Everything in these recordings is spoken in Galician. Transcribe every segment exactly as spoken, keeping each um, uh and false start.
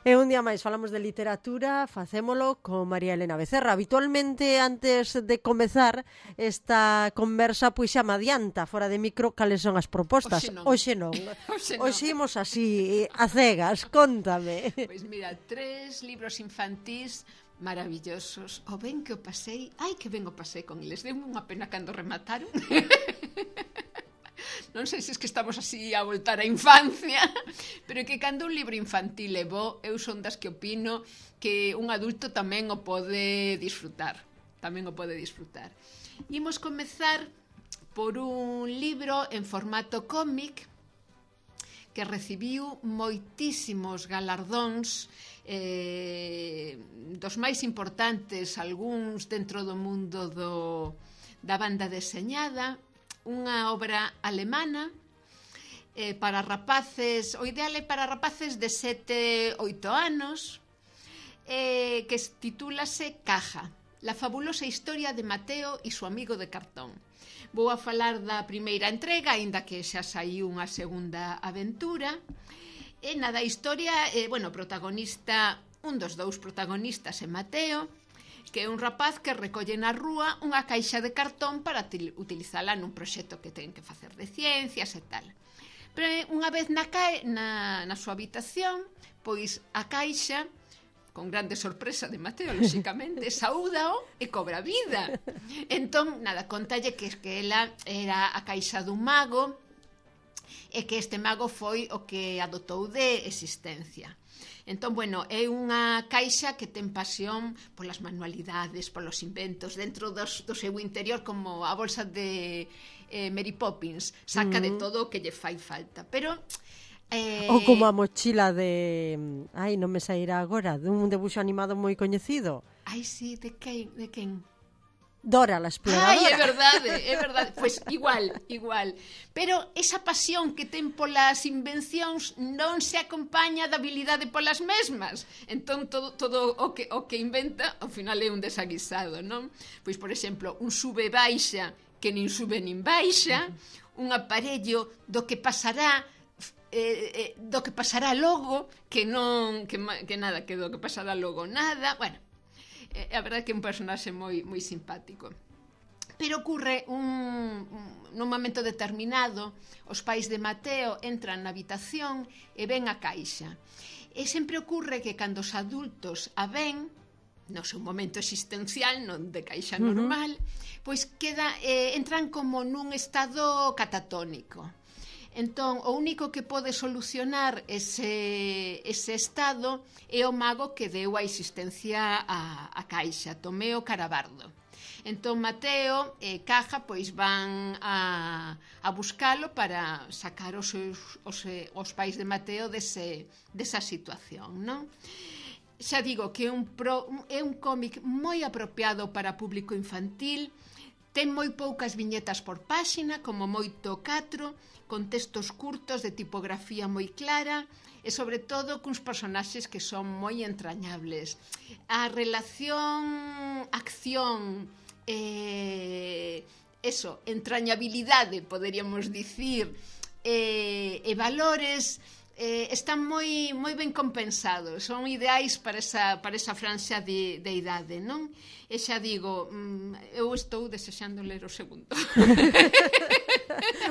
E un día máis falamos de literatura, facémolo con María Elena Becerra. Habitualmente, antes de comezar esta conversa, pois xa me adianta, fora de micro, cales son as propostas. Oxe non. Oxe non. Oxe non. Oxe imos así, a cegas, contame. Pois mira, tres libros infantís maravillosos. O ben que o pasei, ai que ben o pasei con eles. Deu unha pena cando remataron. Non sei se es que estamos así a voltar á infancia, pero que cando un libro infantil é bo, eu son das que opino que un adulto tamén o pode disfrutar. Tamén o pode disfrutar. Imos comezar por un libro en formato cómic que recibiu moitísimos galardóns, eh, dos máis importantes, algúns dentro do mundo do, da banda deseñada, unha obra alemana eh, para rapaces, o ideal é para rapaces de sete a oito anos, eh, que titúlase Caja, la fabulosa historia de Mateo e su amigo de cartón. Vou a falar da primeira entrega, aínda que xa saiu unha segunda aventura. E nada, a historia, eh, bueno, protagonista, un dos dous protagonistas é Mateo, que é un rapaz que recolle na rúa unha caixa de cartón para utilizala nun proxecto que ten que facer de ciencias e tal. Pero unha vez na, ca... na, na súa habitación, pois a caixa, con grande sorpresa de Mateo, lóxicamente, saúdao e cobra vida. Entón, nada, contalle que, que ela era a caixa dun mago e que este mago foi o que adotou de existencia. Entón, bueno, é unha caixa que ten pasión polas manualidades, polos inventos, dentro dos, do seu interior, como a bolsa de eh, Mary Poppins, saca mm. de todo o que lle fai falta. Pero... Eh... Ou como a mochila de... Ai, non me sairá agora, dun debuxo animado moi coñecido. Ai, sí, de quen? De quen? Dora, la exploradora. Ai, é verdade, é verdade. Pois igual, igual. Pero esa pasión que ten polas invencións non se acompaña da habilidade polas mesmas. Entón, todo, todo o, que, o que inventa, ao final é un desaguisado, non? Pois, por exemplo, un sube-baixa que nin sube nin baixa, un aparello do que pasará... Eh, eh, do que pasará logo, que non... Que, que nada, que do que pasará logo nada... Bueno... É a verdade que é un personaxe moi, moi simpático. Pero ocurre un, un, nun momento determinado, os pais de Mateo entran na habitación e ven a caixa. E sempre ocurre que cando os adultos a ven, no seu momento existencial, non de caixa normal, uh-huh. pois queda, eh, entran como nun estado catatónico. Entón, o único que pode solucionar ese, ese estado é o mago que deu a existencia a, a caixa, Tomeo Carabardo. Entón, Mateo e Caja pois van a, a buscalo para sacar os, seus, os, os pais de Mateo dese, desa situación, non? Xa digo que é un, pro, é un cómic moi apropiado para público infantil, ten moi poucas viñetas por páxina, como moito catro, con textos curtos de tipografía moi clara e, sobre todo, cuns personaxes que son moi entrañables. A relación acción eh, eso, entrañabilidade, poderíamos dicir, eh, e valores eh, están moi, moi ben compensados, son ideais para esa, para esa franxa de, de idade, non? E xa digo, eu estou desexando ler o segundo.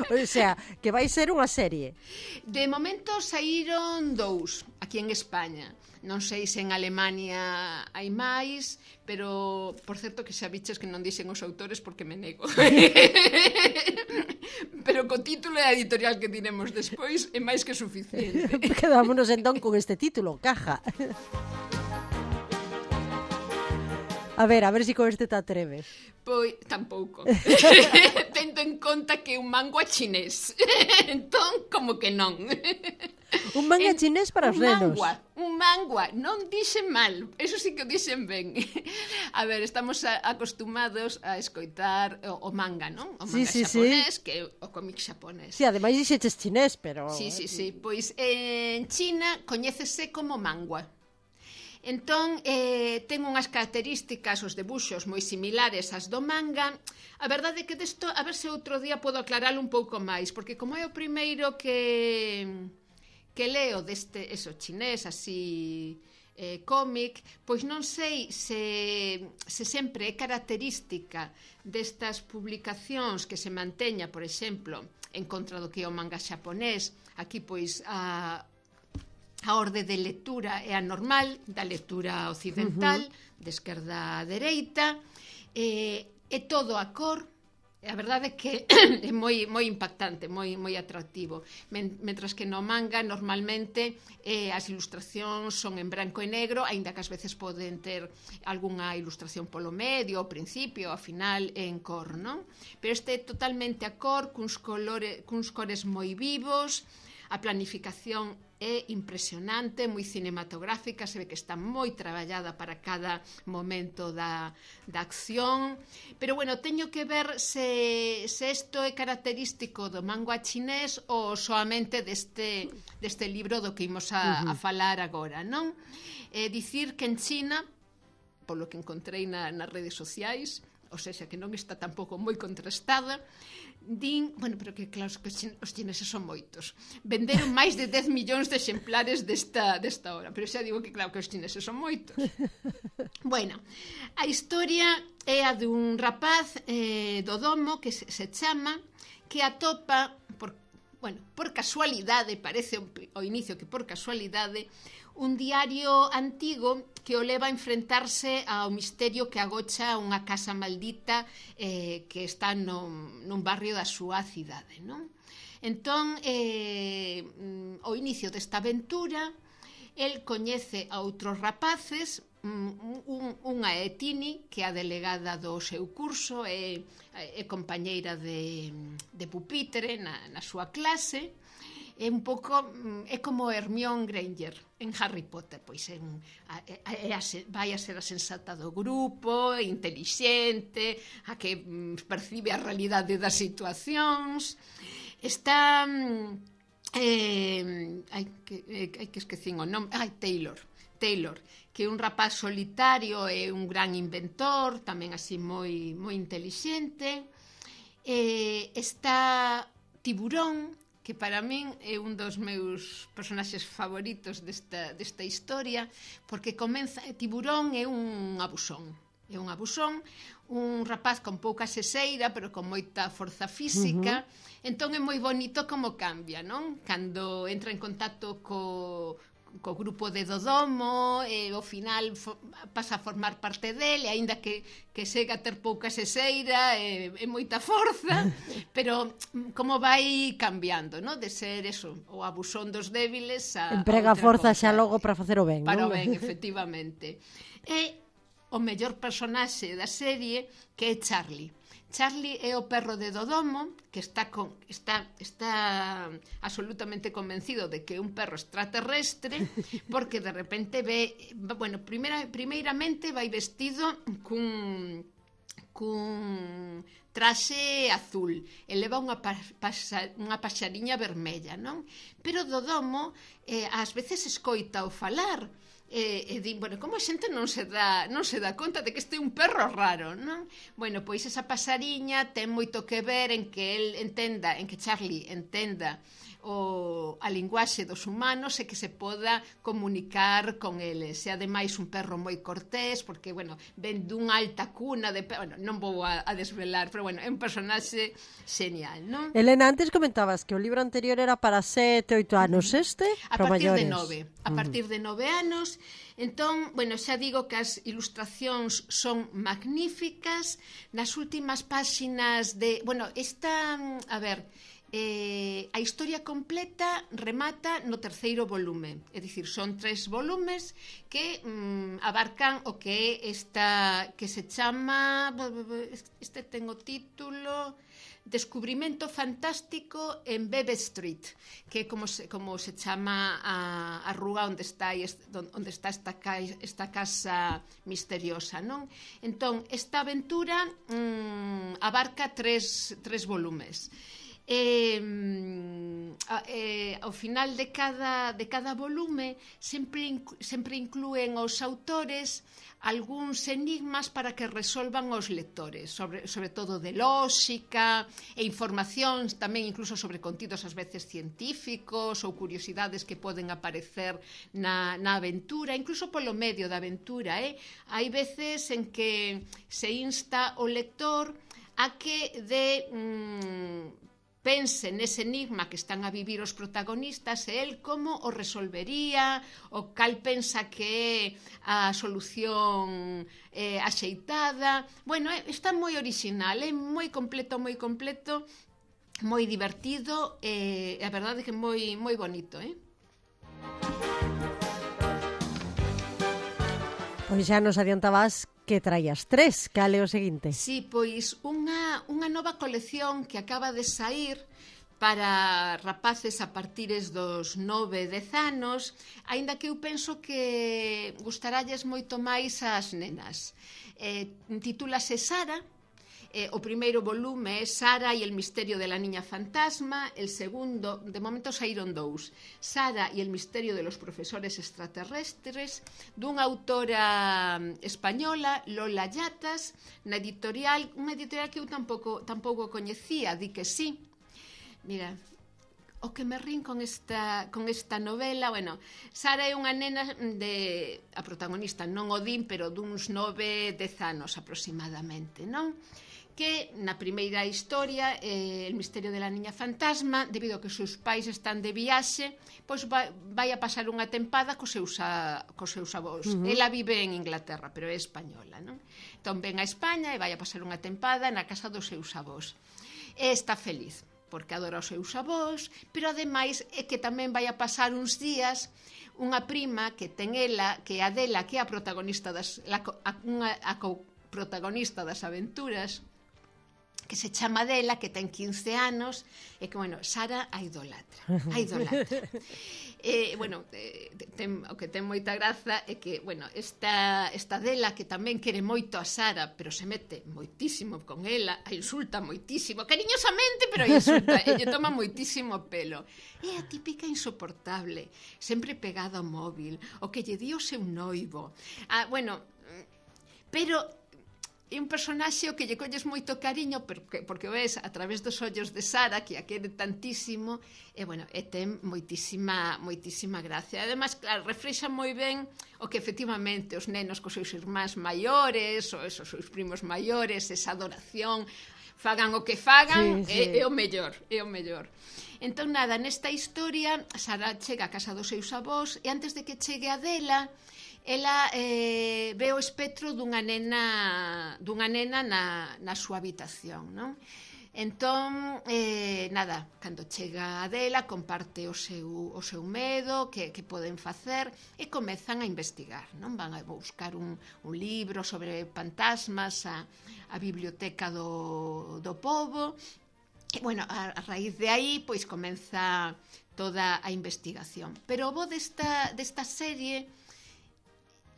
O sea, que vai ser unha serie. De momento saíron dous aquí en España. Non sei se en Alemania hai máis, pero por certo que xa viches que non dixen os autores porque me nego. Pero co título e a editorial que diremos despois é máis que suficiente. Quedámonos entón con este título, Caja. A ver, a ver se si con este te atreves. Pois, tampouco. Tendo en conta que é un manga chinés. Entón, como que non. Un manga en, chinés para os nenos. Mangua, un mangua, non dixen mal. Eso sí que o dixen ben. A ver, estamos a, acostumados a escoitar o, o manga, non? O manga sí, sí, xaponés, sí. que é o cómic xaponés. Sí, ademais dixeches chinés, pero... Sí, sí, sí. Pois en China coñécese como mangua. Entón, eh, ten unhas características, os debuxos moi similares ás do manga. A verdade é que desto, a ver se outro día podo aclaralo un pouco máis, porque como é o primeiro que que leo deste, eso, chinés, así, eh, cómic, pois non sei se, se sempre é característica destas publicacións que se manteña, por exemplo, en contra do que é o manga xaponés. Aquí, pois, a, a orde de lectura é a normal, da lectura occidental, uh-huh. de esquerda a dereita, eh, é todo a cor. A verdade é que é moi, moi impactante, moi, moi atractivo. Men, mentras que no manga normalmente eh, as ilustracións son en branco e negro, aínda que ás veces poden ter algunha ilustración polo medio, ao principio, ao final en cor, non? Pero este é totalmente a cor, cuns, colores, cuns cores moi vivos. A planificación é impresionante, moi cinematográfica, se ve que está moi traballada para cada momento da, da acción. Pero, bueno, teño que ver se, se isto é característico do manga chinés ou soamente deste, deste libro do que imos a, a falar agora, non? É dicir que en China, polo que encontrei na, nas redes sociais, ou seja, que non está tampouco moi contrastada, din, bueno, pero que claro, que os chineses son moitos, venderon máis de dez millóns de exemplares desta, desta obra, pero xa digo que claro que os chineses son moitos. Bueno, a historia é a dun rapaz eh, do domo que se, se chama, que atopa por, bueno, por casualidade, parece ao inicio que por casualidade, un diario antigo que o leva a enfrentarse ao misterio que agocha unha casa maldita eh, que está nun, nun barrio da súa cidade, non? Entón, eh, ao inicio desta aventura, el coñece a outros rapaces, un, un, unha é Tini, que é a delegada do seu curso, é, é compañeira de, de pupitre na, na súa clase, é un pouco, é como Hermione Granger en Harry Potter, pois é, é, é a, vai a ser a sensata do grupo, é intelixente, a que percibe a realidade das situacións, está eh, hai que, hai que esquecín o nome, ai, Taylor Taylor, que é un rapaz solitario e un gran inventor, tamén así moi, moi intelixente. Eh, está Tiburón, que para min é un dos meus personaxes favoritos desta, desta historia, porque comeza, Tiburón é un abusón, é un abusón, un rapaz con pouca sexeira, pero con moita forza física, uh-huh. Entón é moi bonito como cambia, non? Cando entra en contacto co, co grupo de Dodomo, e ao final fo, pasa a formar parte dele, aínda que, que sega a ter pouca sexeira e, e moita forza, pero como vai cambiando, no? De ser eso, o abusón dos débiles a emprega a forza xa logo para facer o ben, para non? o ben, efectivamente. E o mellor personaxe da serie, que é Charlie. Charlie é o perro de Dodomo, que está, con, está, está absolutamente convencido de que é un perro extraterrestre, porque de repente ve, bueno, primeira, primeiramente vai vestido cun, cun traxe azul, e leva unha, pa, pasa, unha paxariña vermella, non? Pero Dodomo eh, ás veces escoita o falar, E, e di, bueno, como a xente non se dá non se dá conta de que este é un perro raro, non? Bueno, pois esa pasariña ten moito que ver en que el entenda, en que Charlie entenda o, a linguaxe dos humanos e que se poda comunicar con eles. E ademais un perro moi cortés, porque, bueno, ven dunha alta cuna de perro, bueno, non vou a, a desvelar, pero, bueno, é un personaxe genial, non? Elena, antes comentabas que o libro anterior era para sete, oito anos, este a para partir maiores. de nove, a partir de nove anos. Entón, bueno, xa digo que as ilustracións son magníficas. Nas últimas páxinas de, bueno, esta, a ver, Eh, a historia completa remata no terceiro volume, é dicir, son tres volumes que mm, abarcan o que é esta, que se chama, este ten o título Descubrimento fantástico en Bebe Street, que é como se, como se chama a, a rúa onde está, onde está esta, esta casa misteriosa, non? Entón, esta aventura mm, abarca tres, tres volumes. eh, eh, ao final de cada, de cada volume sempre, sempre inclúen os autores algúns enigmas para que resolvan os lectores, sobre, sobre todo de lóxica e informacións tamén incluso sobre contidos ás veces científicos ou curiosidades que poden aparecer na, na aventura, incluso polo medio da aventura. Eh? Hai veces en que se insta o lector a que de... Mm, pense nese enigma que están a vivir os protagonistas e el como o resolvería, o cal pensa que é a solución eh, axeitada. Bueno, eh, está moi original, é eh, moi completo, moi completo, moi divertido, e eh, a verdade é que moi, moi bonito, eh? Pois xa nos adiantabas que traías tres. Cal é o seguinte? Sí, pois unha, unha nova colección que acaba de saír para rapaces a partires dos nove, dez anos, aínda que eu penso que gustaralles moito máis ás nenas. Eh, titúlase Sara. Eh, o primeiro volume é Sara e el misterio de la niña fantasma, el segundo, de momento saíron dous, Sara e el misterio de los profesores extraterrestres, dunha autora española, Lola Llatas, na editorial, unha editorial que eu tampouco, tampouco coñecía, di que sí. Mira, o que me rin con esta, con esta novela, bueno, Sara é unha nena de, a protagonista non o din, pero duns nove, dez anos aproximadamente, non? Que na primeira historia, eh, el misterio de la niña fantasma, debido a que os seus pais están de viaxe, pois vai, vai a pasar unha tempada cos seus, a, cos seus avós. Uh -huh. Ela vive en Inglaterra, pero é española, non? Entón ven a España e vai a pasar unha tempada na casa dos seus avós. E está feliz, porque adora os seus avós, pero ademais é que tamén vai a pasar uns días unha prima que ten ela, que é Adela, que é a protagonista das, la, a, unha, a protagonista das aventuras, que se chama Adela, que ten quince anos, e que, bueno, Sara a idolatra, a idolatra. eh, bueno, eh, ten, o que ten moita graza é que, bueno, esta, esta Adela, que tamén quere moito a Sara, pero se mete moitísimo con ela, a insulta moitísimo, cariñosamente, pero a insulta, e lle toma moitísimo pelo. É a típica insoportable, sempre pegada ao móvil, o que lle di o seu noivo. Ah, bueno, pero... é un personaxe o que lle colles moito cariño porque, porque ves a través dos ollos de Sara, que a quere tantísimo, e, bueno, e ten moitísima, moitísima gracia. Ademais, claro, reflexa moi ben o que efectivamente os nenos cos seus irmáns maiores, ou esos seus primos maiores, esa adoración, fagan o que fagan, sí, sí. É, é o mellor, é o mellor. Entón, nada, nesta historia, Sara chega a casa dos seus avós, e antes de que chegue a Adela, ela eh, ve o espectro dunha nena dunha nena na, na súa habitación, non? Entón, eh, nada, cando chega a Adela comparte o seu, o seu medo, que, que poden facer, e comezan a investigar, non? Van a buscar un, un libro sobre fantasmas a, a biblioteca do, do pobo, e, bueno, a, a raíz de aí, pois, comeza toda a investigación. Pero o bo desta, desta serie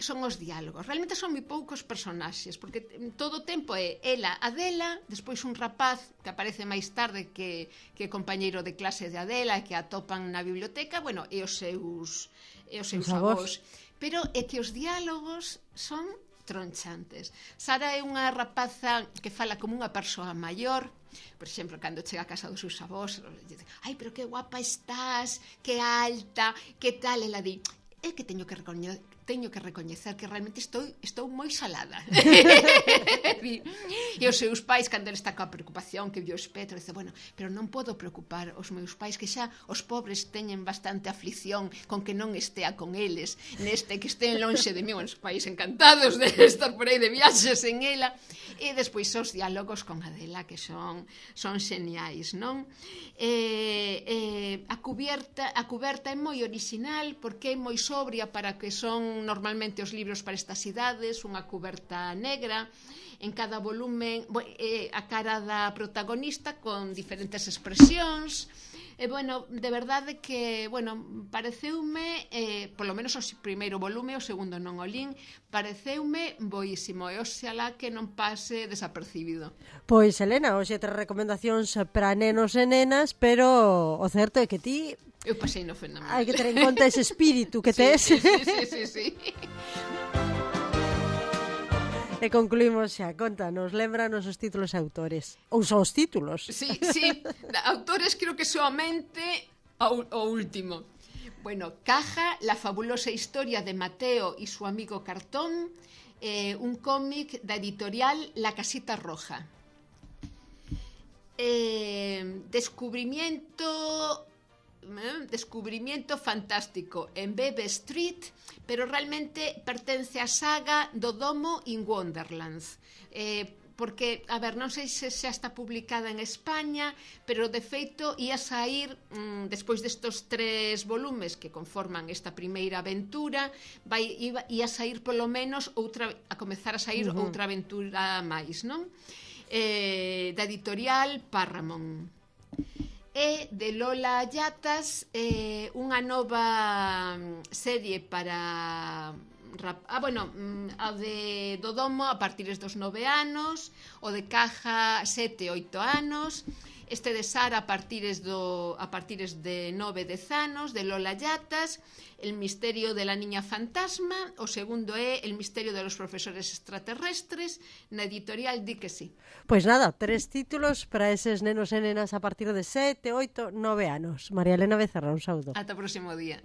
son os diálogos. Realmente son moi poucos personaxes, porque todo o tempo é ela, Adela, despois un rapaz que aparece máis tarde que, que é compañeiro de clase de Adela e que atopan na biblioteca, bueno, e os seus, e os seus avós. Pero é que os diálogos son tronchantes. Sara é unha rapaza que fala como unha persoa maior. Por exemplo, cando chega a casa dos seus avós, ai, pero que guapa estás, que alta, que tal, ela di, é que teño que recoñecer teño que recoñecer que realmente estou, estou moi salada. E os seus pais, cando ele está coa preocupación que viu o espectro, dice, bueno, pero non podo preocupar os meus pais, que xa os pobres teñen bastante aflicción con que non estea con eles, neste que estén lonxe de mí, os pais encantados de estar por aí de viaxes en ela. E despois os diálogos con Adela, que son, son xeniais, non? Eh, eh, a cuberta, a cuberta é moi original, porque é moi sobria para que son normalmente os libros para estas idades, unha cuberta negra, en cada volumen eh, a cara da protagonista con diferentes expresións, E, bueno, de verdade que, bueno, pareceume, eh, polo menos o primeiro volume, o segundo non o lin, pareceume boísimo, e oxalá que non pase desapercibido. Pois, Elena, hoxe tres recomendacións para nenos e nenas, pero o certo é que ti... Eu pasei no fenomenal. Hai que ter en conta ese espírito que tes. Sí, sí, sí, sí, sí. E concluímos xa, contanos, lembranos os títulos e autores. Ou só os títulos. Sí, sí, autores creo que solamente o, o último. Bueno, Caja, la fabulosa historia de Mateo y su amigo Cartón, eh, un cómic da editorial La Casita Roja. Eh, descubrimiento... Descubrimiento fantástico en Bebe Street, pero realmente pertence á saga do Domo in Wonderlands, eh, porque, a ver, non sei se xa está publicada en España, pero de feito ia sair mmm, despois destos tres volumes que conforman esta primeira aventura, vai, ia, ia sair polo menos outra, a comezar a sair uh-huh. outra aventura máis, non? Eh, da editorial Paramount. E de Lola Ayatas, eh, unha nova serie para... Ah, bueno, a de do Domo a partir dos nove anos, o de Caja sete, oito anos, este de Sara a partir do, a partir de nove, dez anos, de Lola Ayatas, El misterio de la niña fantasma, o segundo é El misterio de los profesores extraterrestres, na editorial Di que sí. Pois nada, tres títulos para eses nenos e nenas a partir de sete, oito, nove anos. María Elena Becerra, un saúdo. Ata o próximo día.